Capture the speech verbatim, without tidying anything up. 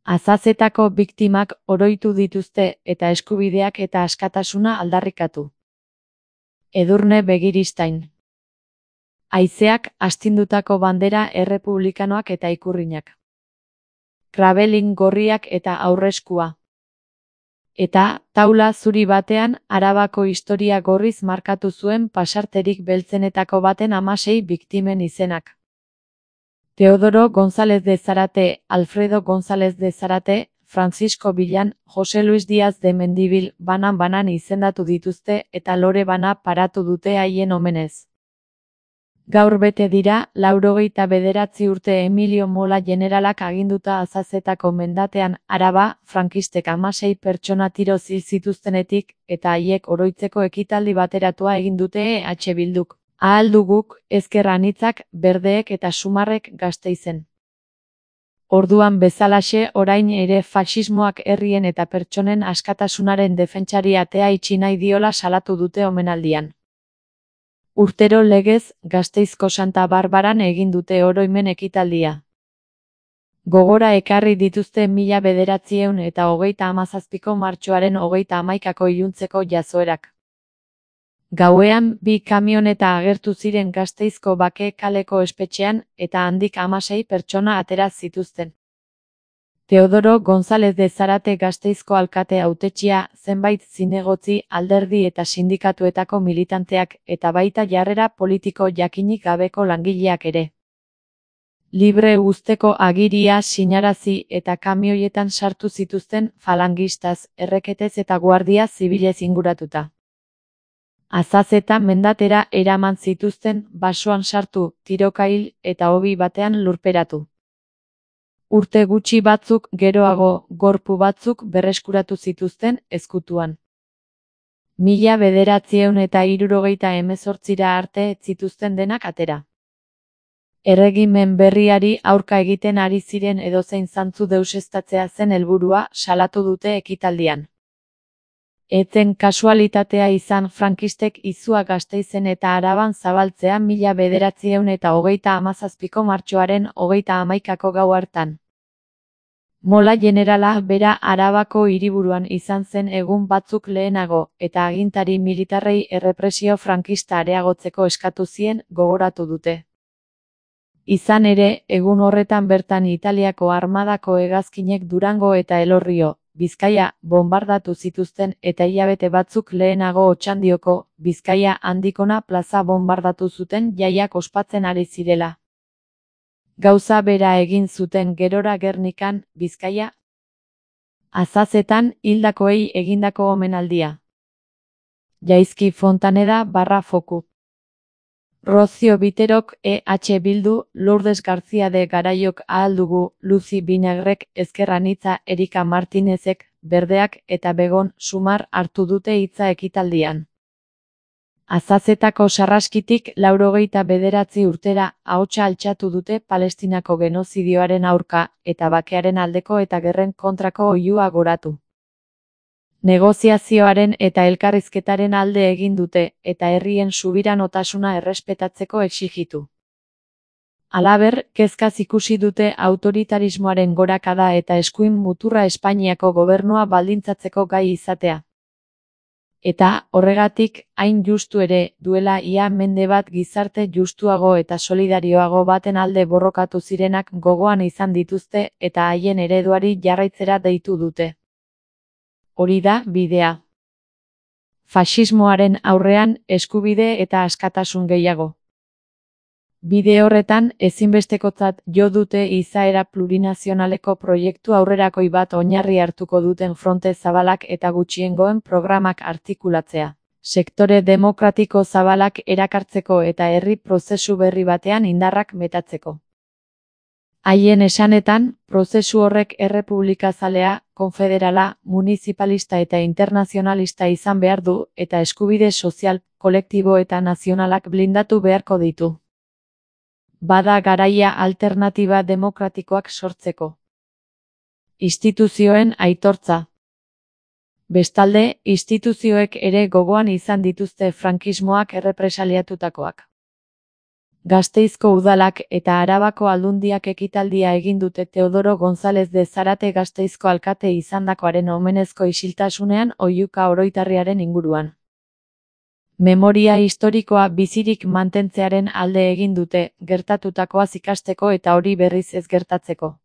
Azazetako biktimak oroitu dituzte eta eskubideak eta askatasuna aldarrikatu. Edurne Begiristain. Haizeak astindutako bandera errepublikanoak eta ikurrinak. Krabelin gorriak eta aurreskua. Eta, taula zuri batean, Arabako historia gorriz markatu zuen pasarterik beltzenetako baten hamasei biktimen izenak. Teodoro González de Zarate, Alfredo González de Zarate, Francisco Villan, Jose Luis Díaz de Mendibil banan-banan izendatu dituzte eta lore bana paratu dute haien omenez. Gaur bete dira, laurogeita bederatzi urte Emilio Mola generalak aginduta Azazetako mendatean, Araba, frankistek hamasei pertsona tiro hil zituztenetik, eta haiek oroitzeko ekitaldi bateratua egin dute E H Bilduk. Ahal duguk, ezker anitzak, berdeek eta sumarrek Gasteizen. Orduan bezalaxe orain ere faxismoak herrien eta pertsonen askatasunaren defentsari atea itxi nahi diola salatu dute omenaldian. Urtero legez, Gasteizko Santa Barbaran egin dute oroimen ekitaldia. Gogora ekarri dituzte mila bederatziehun eta hogeita hamazazpiko martxoaren hogeita hamaikako iluntzeko jazoerak. Gauean, bi kamioneta agertu ziren Gasteizko Bake kaleko espetxean, eta handik hamasei pertsona atera zituzten. Teodoro González de Zarate Gasteizko alkate hautetsia, zenbait zinegotzi, alderdi eta sindikatuetako militanteak, eta baita jarrera politiko jakinik gabeko langileak ere. Libre uzteko agiria sinarazi eta kamioietan sartu zituzten falangistaz, erreketez eta guardia zibilez inguratuta. Azazeta mendatera eraman zituzten, basoan sartu, tirokail eta hobi batean lurperatu. Urte gutxi batzuk geroago, gorpu batzuk berreskuratu zituzten ezkutuan. Mila bederatziehun eta hirurogeita hemezortzira arte ez zituzten denak atera. Erregimen berriari aurka egiten ari ziren edozein zantzu deuseztatzea zen helburua salatu dute ekitaldian. Etzen kasualitatea izan frankistek izua Gasteizen eta Araban zabaltzea mila bederatziehun eta hogeita hamazazpiko martxoaren hogeita hamaikako gau hartan. Mola generala bera Arabako hiriburuan izan zen egun batzuk lehenago, eta agintari militarrei errepresio frankista areagotzeko eskatu zien gogoratu dute. Izan ere, egun horretan bertan Italiako armadako hegazkinek Durango eta Elorrio, Bizkaia, bombardatu zituzten eta hilabete batzuk lehenago Otxandioko, Bizkaia handikona plaza bombardatu zuten jaiak ospatzen ari zirela. Gauza bera egin zuten gerora Gernikan, Bizkaia. Azazetan, hildakoei egindako omenaldia. Jaizki Fontaneda barra foku. Rocio Biterok, E H Bildu, Lourdes García de Garayok ahal dugu, Luzi Binagrek, Ezker Anitza, Erika Martinezek, Berdeak eta Begon Sumar hartu dute hitza ekitaldian. Azazetako sarraskitik laurogeita bederatzi urtera ahotsa altxatu dute Palestinako genozidioaren aurka eta bakearen aldeko eta gerren kontrako oihua goratu. Negoziazioaren eta elkarrizketaren alde egin dute, eta herrien subiranotasuna errespetatzeko exigitu. Halaber, kezkaz ikusi dute autoritarismoaren gorakada eta eskuin muturra Espainiako gobernua baldintzatzeko gai izatea. Eta, horregatik, hain justu ere, duela ia mende bat gizarte justuago eta solidarioago baten alde borrokatu zirenak gogoan izan dituzte eta haien ereduari jarraitzera deitu dute. Hori da bidea. Faxismoaren aurrean eskubide eta askatasun gehiago. Bide horretan ezinbestekotzat jo dute izaera plurinazionaleko proiektu aurrerakoi bat oinarri hartuko duten fronte zabalak eta gutxiengoen programak artikulatzea. Sektore demokratiko zabalak erakartzeko eta herri prozesu berri batean indarrak metatzeko. Haien esanetan, prozesu horrek errepublikazalea, konfederala, municipalista eta internazionalista izan behar du eta eskubide sozial, kolektibo eta nazionalak blindatu beharko ditu. Bada garaia alternatiba demokratikoak sortzeko. Instituzioen aitortza. Bestalde, instituzioek ere gogoan izan dituzte frankismoak errepresaliatutakoak. Gasteizko udalak eta Arabako Aldundiak ekitaldia egin dute Teodoro González de Zarate Gasteizko alkate izandakoaren omenezko isiltasunean oihuka oroitarriaren inguruan. Memoria historikoa bizirik mantentzearen alde egin dute, gertatutakoaz ikasteko eta hori berriz ez gertatzeko.